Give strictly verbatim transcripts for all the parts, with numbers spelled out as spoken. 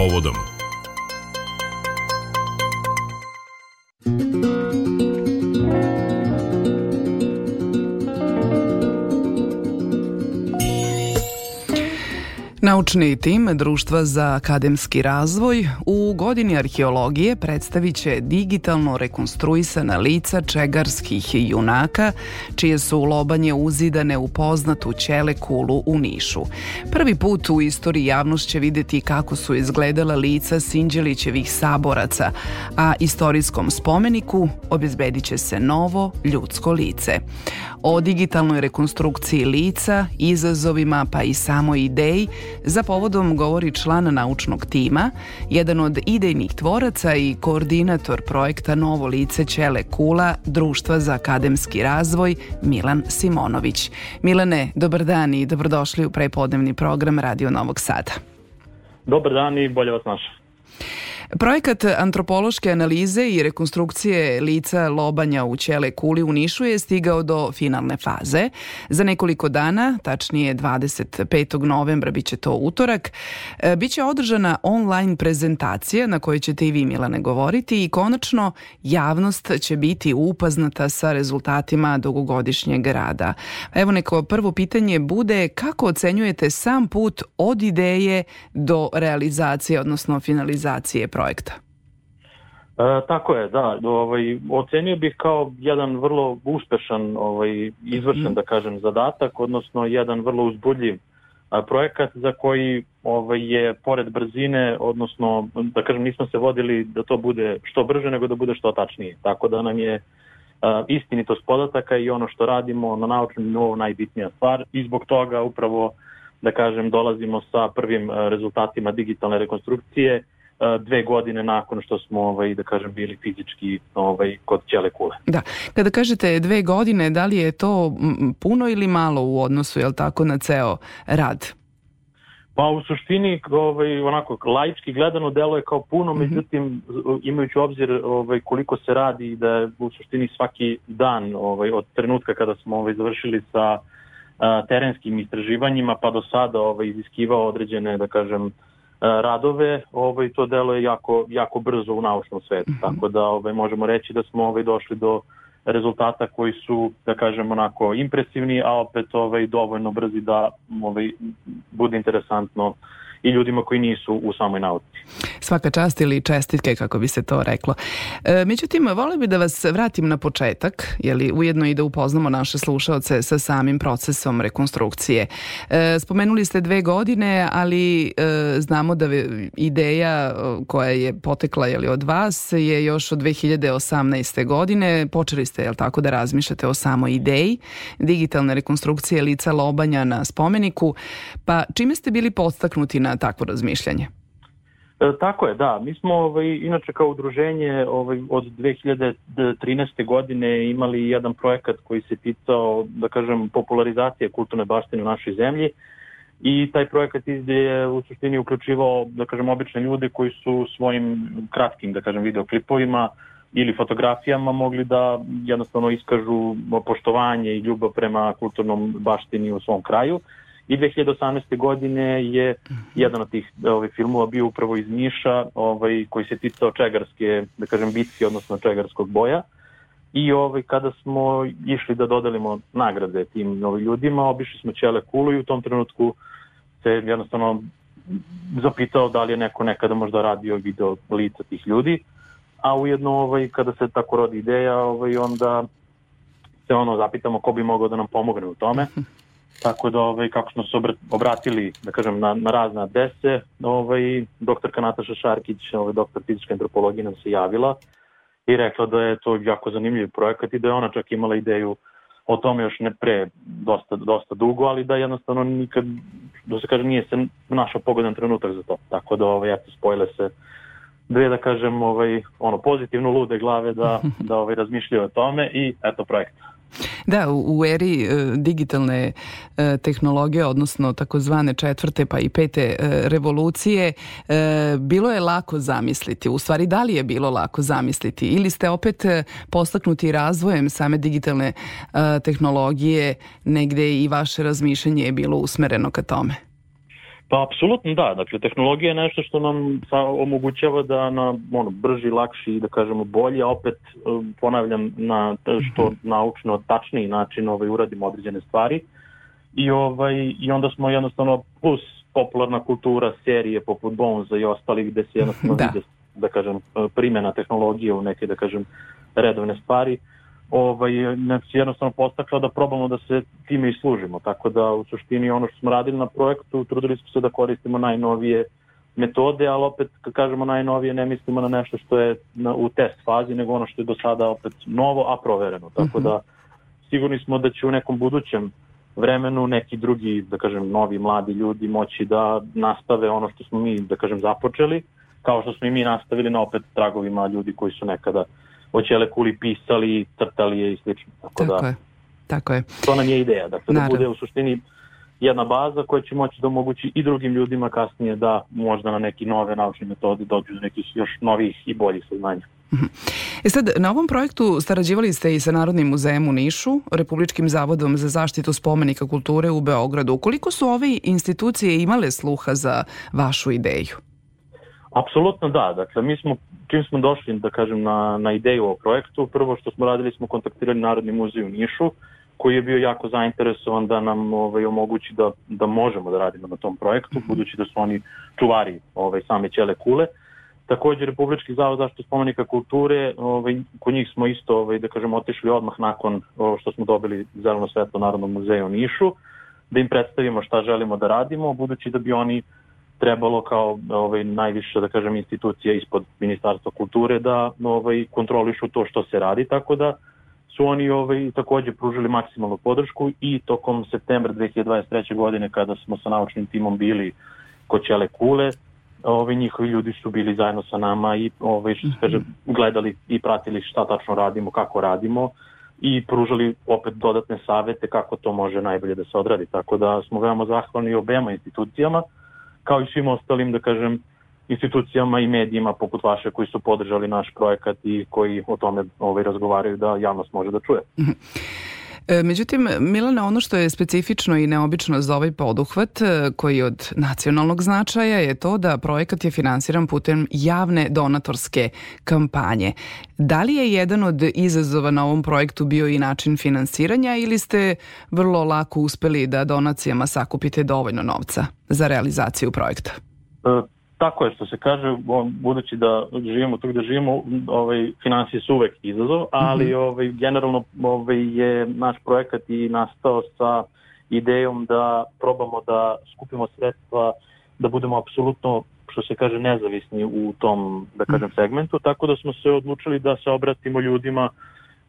povodom. Naučni tim Društva za akademski razvoj u godini arheologije predstavit će digitalno rekonstruisana lica čegarskih junaka, čije su lobanje uzidane u poznatu Ćele kulu u Nišu. Prvi put u istoriji javnost će vidjeti kako su izgledala lica Sinđelićevih saboraca, a istorijskom spomeniku obezbedit će se novo ljudsko lice. O digitalnoj rekonstrukciji lica, izazovima pa i samoj ideji za povodom govori član naučnog tima, jedan od idejnih tvoraca i koordinator projekta Novo lice Ćele kula Društva za akademski razvoj Milan Simonović. Milane, dobar dan i dobrodošli u prepodnevni program Radio Novog Sada. Dobar dan i bolje vas našao. Projekat antropološke analize i rekonstrukcije lica lobanja u Ćele kuli u Nišu je stigao do finalne faze. Za nekoliko dana, tačnije dvadeset petog novembra, bit će to utorak, biće održana online prezentacija na kojoj ćete i vi, Milane, govoriti i konačno javnost će biti upoznata sa rezultatima dugogodišnjeg rada. Evo neko prvo pitanje bude kako ocenjujete sam put od ideje do realizacije, odnosno finalizacije projekta? projekta. E, tako je, da. Ovaj, ocenio bih kao jedan vrlo uspešan, ovaj, izvršen, mm. da kažem, zadatak, odnosno jedan vrlo uzbudljiv a, projekat za koji ovaj, je pored brzine, odnosno, da kažem, nismo se vodili da to bude što brže, nego da bude što tačnije. Tako da nam je a, istinitost podataka i ono što radimo na naučnom nivou najbitnija stvar i zbog toga upravo, da kažem, dolazimo sa prvim a, rezultatima digitalne rekonstrukcije dve godine nakon što smo, ovaj, da kažem, bili fizički ovaj, kod Ćele kule. Da. Kada kažete dve godine, da li je to puno ili malo u odnosu, jel tako, na ceo rad? Pa u suštini, ovaj, onako, laički gledano deluje kao puno, mm-hmm. međutim, imajući u obzir ovaj, koliko se radi i da je u suštini svaki dan ovaj, od trenutka kada smo ovaj, završili sa a, terenskim istraživanjima pa do sada ovaj, iziskivao određene, da kažem, radove, ovaj, to delo je jako, jako brzo u naučnom svetu, mm-hmm. tako da ovaj, možemo reći da smo ovaj, došli do rezultata koji su, da kažem, onako impresivni, a opet ovaj, dovoljno brzi da ovaj, bude interesantno i ljudima koji nisu u samoj nauci. Svaka čast ili čestitke, kako bi se to reklo. E, međutim, volio bi da vas vratim na početak, jeli, ujedno i da upoznamo naše slušaoce sa samim procesom rekonstrukcije. E, spomenuli ste dve godine, ali e, znamo da ideja koja je potekla, jeli, od vas je još od dve hiljade osamnaeste. godine. Počeli ste, jel tako, da razmišljate o samoj ideji digitalne rekonstrukcije lica lobanja na spomeniku. Pa čime ste bili podstaknuti na takvo razmišljanje? E, tako je, da. Mi smo ovaj, inače kao udruženje ovaj, od dve hiljade trinaeste. godine imali jedan projekat koji se ticao, da kažem, popularizacije kulturne baštine u našoj zemlji i taj projekat je u suštini uključivao, da kažem, obične ljude koji su svojim kratkim, da kažem, videoklipovima ili fotografijama mogli da jednostavno iskažu poštovanje i ljubav prema kulturnom baštini u svom kraju. I dve hiljade osamnaeste. godine je jedan od tih ovaj, filmova bio upravo iz Niša, ovaj, koji se ticao čegarske, da kažem, bitke, odnosno čegarskog boja. I ovaj, kada smo išli da dodelimo nagrade tim ovaj, ljudima, obišli smo Ćele kulu i u tom trenutku se jednostavno zapitao da li je neko nekada možda radio video lica tih ljudi. A ujedno, ovaj, kada se tako rodi ideja, ovaj, onda se ono zapitamo ko bi mogao da nam pomogne u tome. Tako da, ovaj, kako smo se obratili, da kažem, na, na razne adrese, ovaj, doktorka Nataša Šarkić, ovaj, doktor fizičke antropologije, nam se javila i rekla da je to jako zanimljiv projekat i da je ona čak imala ideju o tome još ne pre dosta, dosta dugo, ali da jednostavno nikad, da se kaže, nije se našao pogodan trenutak za to. Tako da, ovaj, eto, spojile se dve, da kažem, ovaj, ono, pozitivno lude glave da, da ovaj, razmišljaju o tome i eto projekt. Da, u, u eri e, digitalne e, tehnologije, odnosno takozvane četvrte pa i pete e, revolucije, e, bilo je lako zamisliti. U stvari, da li je bilo lako zamisliti? Ili ste opet e, postaknuti razvojem same digitalne e, tehnologije, negde i vaše razmišljanje je bilo usmereno ka tome? Pa apsolutno da, dakle tehnologija je nešto što nam omogućava da na ono, brži, lakši, da kažemo bolje, a opet ponavljam na što naučno tačniji način ovaj, uradimo određene stvari i, ovaj, i onda smo jednostavno plus popularna kultura, serije poput Bonesa i ostalih gde se jednostavno da. vide, da kažem, primjena tehnologije u neke, da kažem, redovne stvari. Ovaj, nas jednostavno postakla da probamo da se time i služimo. Tako da u suštini ono što smo radili na projektu, trudili smo se da koristimo najnovije metode, ali opet kad kažemo najnovije ne mislimo na nešto što je na, u test fazi, nego ono što je do sada opet novo, a provereno. Tako da sigurni smo da će u nekom budućem vremenu neki drugi, da kažem, novi mladi ljudi moći da nastave ono što smo mi, da kažem, započeli, kao što smo i mi nastavili na opet tragovima ljudi koji su nekada o Ćele kuli pisali, crtali je i slično. Tako, tako da, je, tako je. To nam je ideja, dakle, da bude u suštini jedna baza koja će moći da omogući i drugim ljudima kasnije da možda na neki nove naučne metode dođu do nekih još novih i boljih saznanja. E sad, na ovom projektu sarađivali ste i sa Narodnim muzejem u Nišu, Republičkim zavodom za zaštitu spomenika kulture u Beogradu. Koliko su ove institucije imale sluha za vašu ideju? Apsolutno da, dakle mi smo, čim smo došli da kažem na, na ideju o projektu, prvo što smo radili smo kontaktirali Narodni muzej u Nišu, koji je bio jako zainteresovan da nam ovaj, omogući da, da možemo da radimo na tom projektu, budući da su oni čuvari ovaj, same Ćele kule. Također Republički zavod za zaštitu spomenika kulture, ovaj, kod njih smo isto ovaj, da kažem otišli odmah nakon ovo što smo dobili zeleno svetlo Narodnom muzeju u Nišu, da im predstavimo šta želimo da radimo, budući da bi oni trebalo kao ovaj, najviše, da kažem, institucija ispod Ministarstva kulture da ovaj, kontrolišu to što se radi, tako da su oni ovaj, također pružili maksimalnu podršku i tokom septembra dve hiljade dvadeset treće. godine kada smo sa naučnim timom bili kod Ćele kule, ovaj, njihovi ljudi su bili zajedno sa nama i ovaj, što se kaže, gledali i pratili šta tačno radimo, kako radimo i pružali opet dodatne savete kako to može najbolje da se odradi. Tako da smo veoma zahvalni obema institucijama, kao i svim ostalim, da kažem, institucijama i medijima poput vaše koji su podržali naš projekat i koji o tome ovaj, razgovaraju da javnost može da čuje. Međutim, Milane, ono što je specifično i neobično za ovaj poduhvat koji je od nacionalnog značaja je to da projekat je finansiran putem javne donatorske kampanje. Da li je jedan od izazova na ovom projektu bio i način finansiranja ili ste vrlo lako uspeli da donacijama sakupite dovoljno novca za realizaciju projekta? E, tako je što se kaže, budući da živimo tu gde živimo, ovaj, finansije su uvek izazov, ali mm-hmm. ovaj, generalno ovaj, je naš projekat i nastao sa idejom da probamo da skupimo sredstva, da budemo apsolutno, što se kaže, nezavisni u tom, da kažem, segmentu, tako da smo se odlučili da se obratimo ljudima,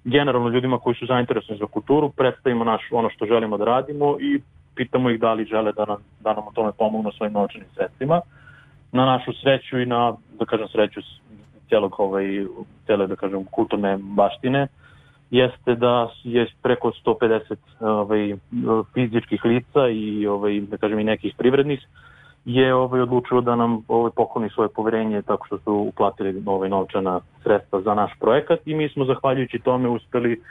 generalno ljudima koji su zainteresovani za kulturu, predstavimo naš, ono što želimo da radimo i pitamo ih da li žele da nam, da nam o tome pomognu svojim novčanim sredstvima. Na našu sreću i na, da kažem, sreću cijelog ovaj, cijele, da kažem, kulturne baštine, jeste da je preko sto pedeset ovaj, fizičkih lica i, ovaj, da kažem, i nekih privrednih je ovaj, odlučilo da nam ovaj, pokloni svoje poverenje tako što su uplatili ovaj, novčana sredstva za naš projekat i mi smo zahvaljujući tome uspeli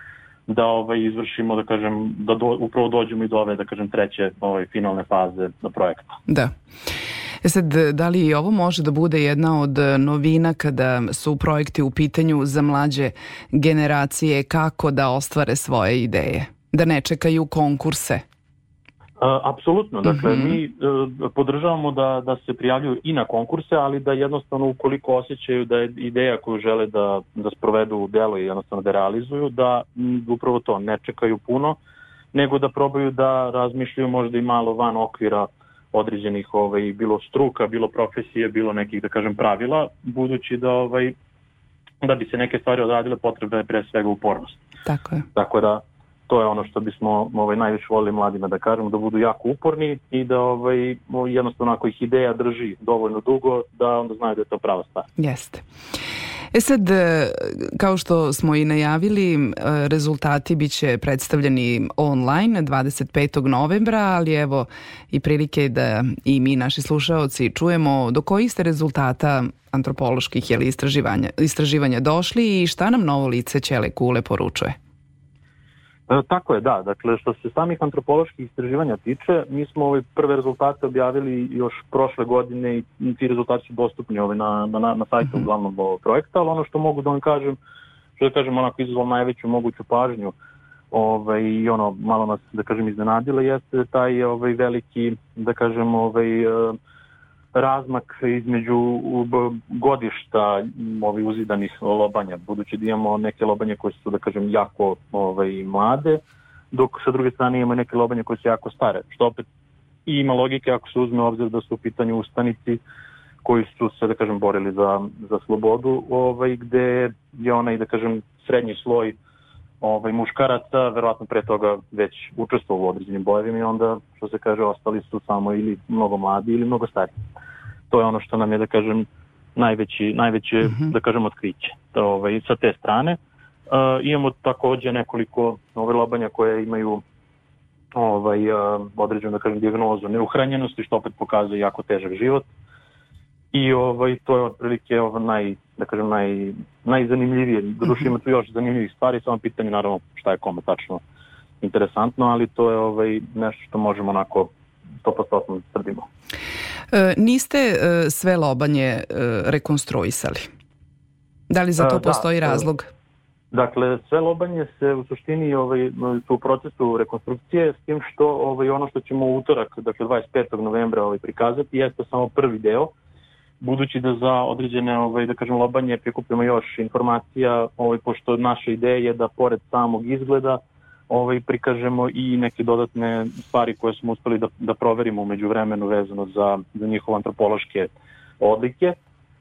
da ovaj, izvršimo, da kažem, da do, upravo dođemo i do ove, da kažem, treće ovaj, finalne faze na projekta. Da. E sad, da li i ovo može da bude jedna od novina kada su projekti u pitanju za mlađe generacije, kako da ostvare svoje ideje? Da ne čekaju konkurse? A, apsolutno. Dakle, mm-hmm. mi uh, podržavamo da, da se prijavljuju i na konkurse, ali da jednostavno ukoliko osjećaju da je ideja koju žele da, da sprovedu u delo i jednostavno da realizuju, da m, upravo to ne čekaju puno, nego da probaju da razmišljaju možda i malo van okvira određenih ovaj, bilo struka, bilo profesije, bilo nekih, da kažem, pravila, budući da ovaj, da bi se neke stvari odradile potrebna je pre svega upornost. Tako je. Tako da to je ono što bismo ovaj, najviše volili mladima da kažemo, da budu jako uporni i da ovaj, jednostavno ako ih ideja drži dovoljno dugo, da onda znaju da je to prava stvar. Jeste. E sad, kao što smo i najavili, rezultati bit će predstavljeni online dvadeset petog novembra, ali evo i prilike da i mi, naši slušaoci, čujemo do kojih ste rezultata antropoloških ili istraživanja, istraživanja došli i šta nam novo lice Ćele kule poručuje. E, tako je, da. Dakle, što se samih antropoloških istraživanja tiče, mi smo ove prve rezultate objavili još prošle godine i ti rezultati su dostupni ove na, na, na sajtu mm-hmm. uglavnom ovog projekta, ali ono što mogu da vam kažem, što da kažem onako izazvalo najveću moguću pažnju ovaj, i ono malo nas, da kažem, iznenadilo, jeste taj ovaj, veliki, da kažem, ovaj, razmak između godišta ovih uzidanih lobanja, budući da imamo neke lobanje koje su, da kažem, jako ovaj, mlade, dok sa druge strane imamo neke lobanje koje su jako stare, što opet i ima logike ako se uzme u obzir da su u pitanju ustanici koji su se, da kažem, borili za, za slobodu, ovaj, gde je onaj, da kažem, srednji sloj ovaj, muškaraca, verovatno pre toga već učestvovao u određenim bojevima i onda, što se kaže, ostali su samo ili mnogo mladi ili mnogo stariji. To je ono što nam je, da kažem, najveći, najveće, mm-hmm. da kažem, otkriće. Ovaj, sa te strane. Uh, imamo takođe nekoliko ove lobanja koje imaju ovaj, uh, određenu, da kažem, dijagnozu neuhranjenosti, što opet pokazuje jako težak život. I ovaj, to je otprilike ovaj, naj, da kažem, naj, najzanimljivije. Doduše ima tu još zanimljivih stvari, samo pitanje naravno šta je kome tačno interesantno, ali to je ovaj, nešto što možemo onako sto posto tvrdimo. E, niste e, sve lobanje e, rekonstruisali? Da li za to e, postoji da, razlog? Dakle, sve lobanje se u suštini ovaj, su u procesu rekonstrukcije, s tim što ovaj, ono što ćemo u utorak, dakle dvadeset petog novembra ovaj, prikazati, jeste samo prvi deo, budući da za određene, ovaj, da kažem, lobanje prikupimo još informacija, ovaj, pošto naša ideja je da pored samog izgleda ovaj, prikažemo i neke dodatne stvari koje smo uspeli da, da proverimo umeđu vremenu vezano za, za njihove antropološke odlike.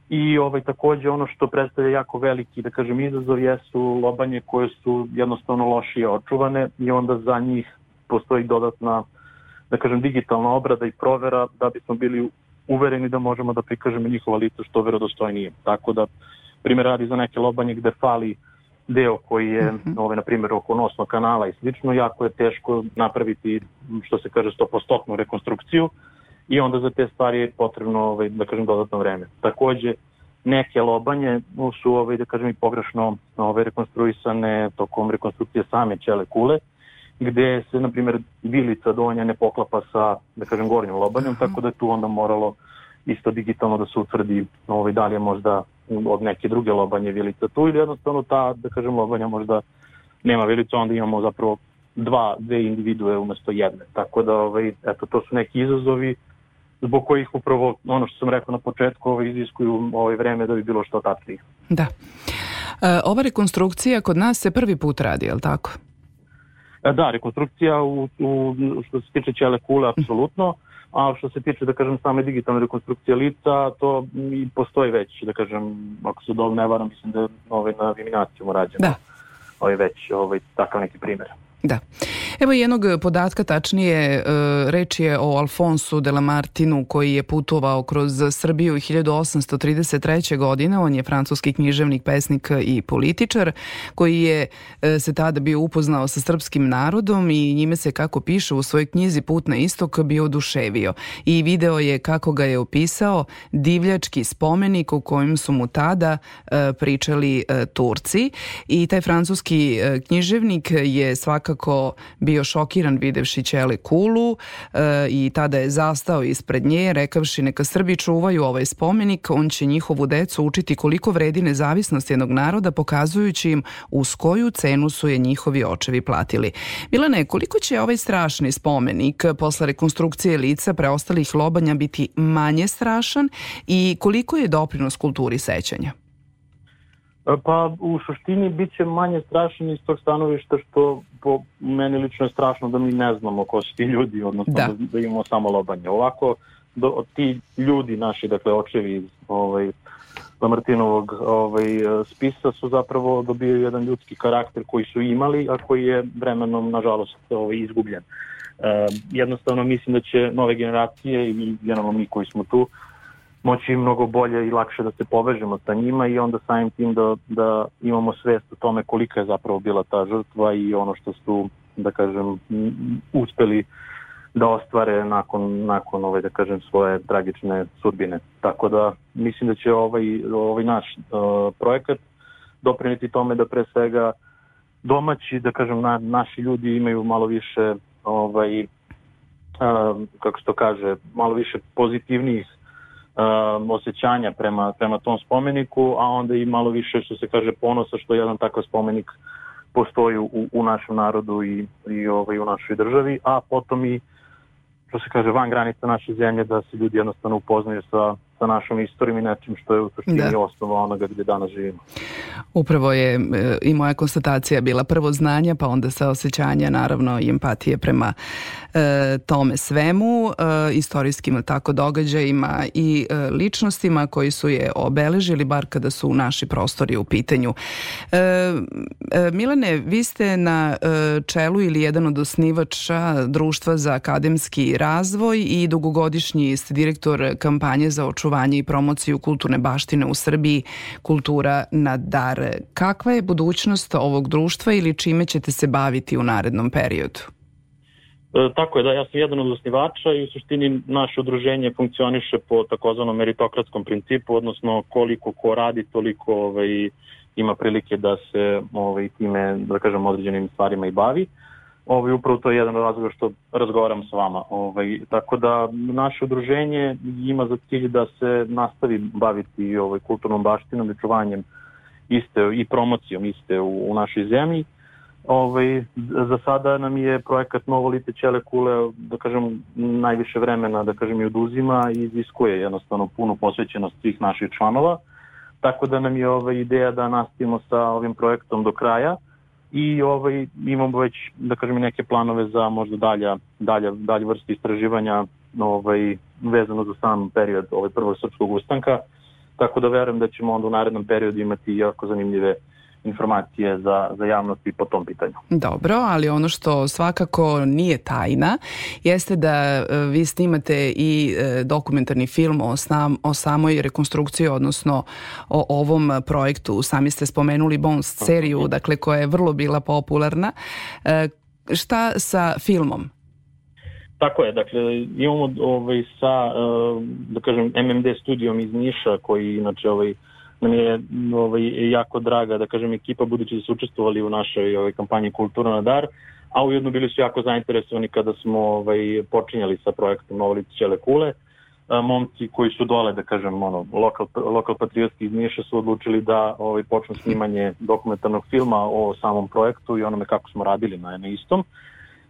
I ovaj, takođe ono što predstavlja jako veliki, da kažem, izazov jesu lobanje koje su jednostavno lošije očuvane i onda za njih postoji dodatna, da kažem, digitalna obrada i provera da bismo bili uvereni da možemo da prikažemo njihova lica što verodostojnije. Tako da, primjer radi za neke lobanje gde fali deo koji je, mm-hmm. ovaj, na primjer, oko nosnog kanala i slično, jako je teško napraviti, što se kaže, sto posto rekonstrukciju i onda za te stvari je potrebno, ovaj, da kažem, dodatno vreme. Takođe, neke lobanje su, ovaj, da kažem, i pogrešno ovaj, rekonstruisane tokom rekonstrukcije same ćele kule, gde se, na primjer, vilica donja ne poklapa sa, da kažem, gornjom lobanjom, uh-huh. tako da je tu onda moralo isto digitalno da se utvrdi ovaj, da li je možda od neke druge lobanje vilica tu ili jednostavno ta, da kažem, lobanja možda nema vilicu, onda imamo zapravo dva, dve individue umesto jedne. Tako da, ovaj, eto, to su neki izazovi zbog kojih upravo, ono što sam rekao na početku, ovaj, iziskuju ovaj vreme da bi bilo što tačnije. Da. E, ova rekonstrukcija kod nas se prvi put radi, je li tako? Da, rekonstrukcija u, u, što se tiče ćele kule, apsolutno, a što se tiče, da kažem, same digitalne rekonstrukcije lica, to i postoji već, da kažem, ako se dobro ne varam, mislim da je ovaj, na eliminacijama rađeno da. ovaj, već ovaj, takav neki primjer. Da. Evo jednog podatka, tačnije reč je o Alfonsu de Lamartinu koji je putovao kroz Srbiju hiljadu osamsto trideset treće. godine. On je francuski književnik, pesnik i političar koji je se tada bio upoznao sa srpskim narodom i njime se, kako piše u svojoj knjizi Put na istok, bio oduševio. I video je kako ga je opisao divljački spomenik u kojem su mu tada pričali Turci. I taj francuski književnik je svakako kako bio šokiran videvši ćele kulu e, i tada je zastao ispred nje rekavši neka Srbi čuvaju ovaj spomenik, on će njihovu decu učiti koliko vredi nezavisnost jednog naroda pokazujući im uz koju cenu su je njihovi očevi platili. Milane, koliko će ovaj strašni spomenik posle rekonstrukcije lica preostalih lobanja biti manje strašan i koliko je doprinos kulturi sećanja? Pa u suštini bit će manje strašan iz tog stanovišta što po meni lično je strašno da mi ne znamo ko su ti ljudi, odnosno da, da, da imamo samo lobanje. Ovako, do, ti ljudi naši, dakle očevi iz ovaj, Lamartinovog ovaj, spisa su zapravo dobili jedan ljudski karakter koji su imali, a koji je vremenom, nažalost, ovaj, izgubljen. E, jednostavno mislim da će nove generacije i generalno mi koji smo tu moći mnogo bolje i lakše da se povežemo sa njima i onda samim tim da, da imamo svest o tome kolika je zapravo bila ta žrtva i ono što su, da kažem, uspeli da ostvare nakon, nakon ove, da kažem, svoje tragične sudbine. Tako da mislim da će ovaj, ovaj naš uh, projekat doprineti tome da pre svega domaći, da kažem, na, naši ljudi imaju malo više, ovaj, uh, kako se to kaže, malo više pozitivnijih uh, osjećanja prema, prema tom spomeniku, a onda i malo više, što se kaže, ponosa što jedan takav spomenik postoji u, u našem narodu i, i ovaj, u našoj državi, a potom i, što se kaže, van granica naše zemlje, da se ljudi jednostavno upoznaju sa, sa našom istorijom i nečim što je u suštini osnova onoga gdje danas živimo. Upravo je e, i moja konstatacija bila prvo znanja, pa onda saosećanja, naravno i empatije prema e, tome svemu, e, istorijskim tako događajima i e, ličnostima koji su je obeležili, bar kada su naši prostori u pitanju. E, e, Milane, vi ste na e, čelu ili jedan od osnivača Društva za akademski razvoj i dugogodišnji ste direktor kampanje za očuvanje i promociju kulturne baštine u Srbiji Kultura na dar. Kakva je budućnost ovog društva ili čime ćete se baviti u narednom periodu? E, tako je, da, ja sam jedan od osnivača i u suštini naše udruženje funkcioniše po takozvanom meritokratskom principu, odnosno koliko ko radi, toliko ovaj, ima prilike da se ovaj, time, da kažem, određenim stvarima i bavi. Ovaj, upravo to je jedan razlog što razgovaram s vama. Ovaj, tako da naše udruženje ima za cilj da se nastavi baviti ovaj, kulturnom baštinom i čuvanjem iste i promocijom iste u, u našoj zemlji. Ovaj, za sada nam je projekat Novo lice Ćele kule, da kažem, najviše vremena, da kažem, i oduzima i iziskuje jednostavno punu posvećenost svih naših članova. Tako da nam je ovaj, ideja da nastavimo sa ovim projektom do kraja. I ovaj, imamo već, da kažem, neke planove za možda dalja, dalja, dalje vrste istraživanja ovaj, vezano za sam period ovaj, prvog srpskog ustanka. Tako da verujem da ćemo onda u narednom periodu imati jako zanimljive informacije za, za javnost i po tom pitanju. Dobro, ali ono što svakako nije tajna jeste da vi snimate i dokumentarni film o, sam, o samoj rekonstrukciji, odnosno o ovom projektu. Sami ste spomenuli Bones seriju, dakle, koja je vrlo bila popularna. Šta sa filmom? Tako je, dakle, imamo ovaj, sa, da kažem, M M D studijom iz Niša, koji inače ovaj, nam je ovaj, jako draga, da kažem, ekipa, budući da su učestvovali u našoj ovaj, kampanji Kultura na dar, a ujedno bili su jako zainteresovani kada smo ovaj, počinjali sa projektom Novo lice Ćele kule. A, momci koji su dole, da kažem, ono, lokal, lokal patriotski iz Niša su odlučili da ovaj, počnu snimanje dokumentarnog filma o samom projektu i onome kako smo radili na, na istom.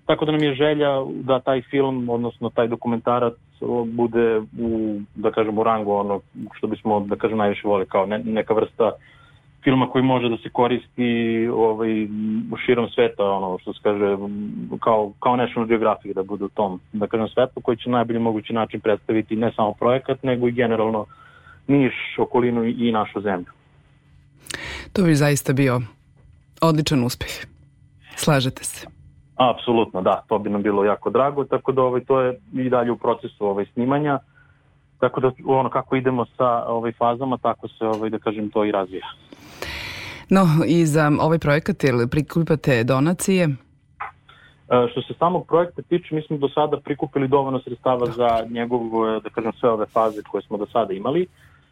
Tako da nam je želja da taj film, odnosno taj dokumentarac, bude u, da kažem, u rangu ono što bismo, da kažem, najviše vole, kao ne, neka vrsta filma koji može da se koristi ovaj, u širom sveta, ono što se kaže, kao, kao National Geographic, da bude u tom, da kažem, svetu, koji će na najbolji mogući način predstaviti ne samo projekat, nego i generalno Niš, okolinu i našu zemlju. To bi zaista bio odličan uspeh. Slažete se? Apsolutno, da, to bi nam bilo jako drago, tako da ovaj, to je i dalje u procesu ovaj, snimanja, tako da ono kako idemo sa ovaj, fazama, tako se, ovaj, da kažem, to i razvija. No, i za ovaj projekat ili prikupate donacije? E, što se samog projekta tiče, mi smo do sada prikupili dovoljno sredstava za njegov, da kažem, sve ove faze koje smo do sada imali. E,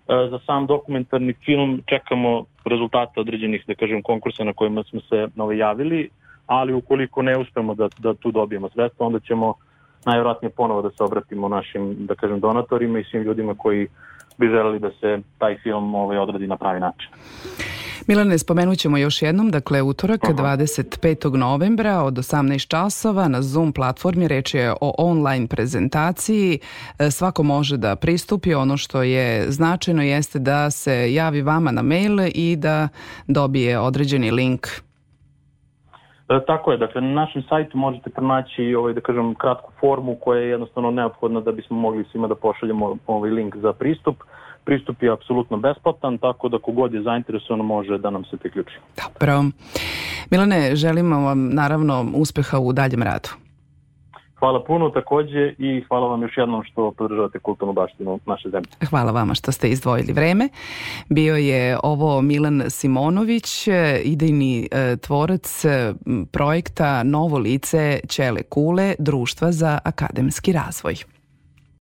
za sam dokumentarni film čekamo rezultate određenih, da kažem, konkursa na kojima smo se ovaj, javili, ali ukoliko ne uspemo da, da tu dobijemo sredstva, onda ćemo najvjerojatnije ponovo da se obratimo našim, da kažem, donatorima i svim ljudima koji bi želeli da se taj film ovaj, odradi na pravi način. Milane, spomenut ćemo još jednom, dakle utorak dvadeset petog novembra od osamnaest časova na Zoom platformi, reč je o online prezentaciji, svako može da pristupi, ono što je značajno jeste da se javi vama na mail i da dobije određeni link. E, tako je, dakle na našem sajtu možete pronaći ovaj, da kažem, kratku formu koja je jednostavno neophodna da bismo mogli svima da pošaljemo ovaj link za pristup. Pristup je apsolutno besplatan, tako da kogod je zainteresovan može da nam se priključi. Dobro. Milane, želimo vam naravno uspeha u daljem radu. Hvala puno takođe i hvala vam još jednom što podržavate kulturnu baštinu naše zemlje. Hvala vama što ste izdvojili vreme. Bio je ovo Milan Simonović, idejni e, tvorac e, projekta Novo lice Ćele kule, Društva za akademski razvoj.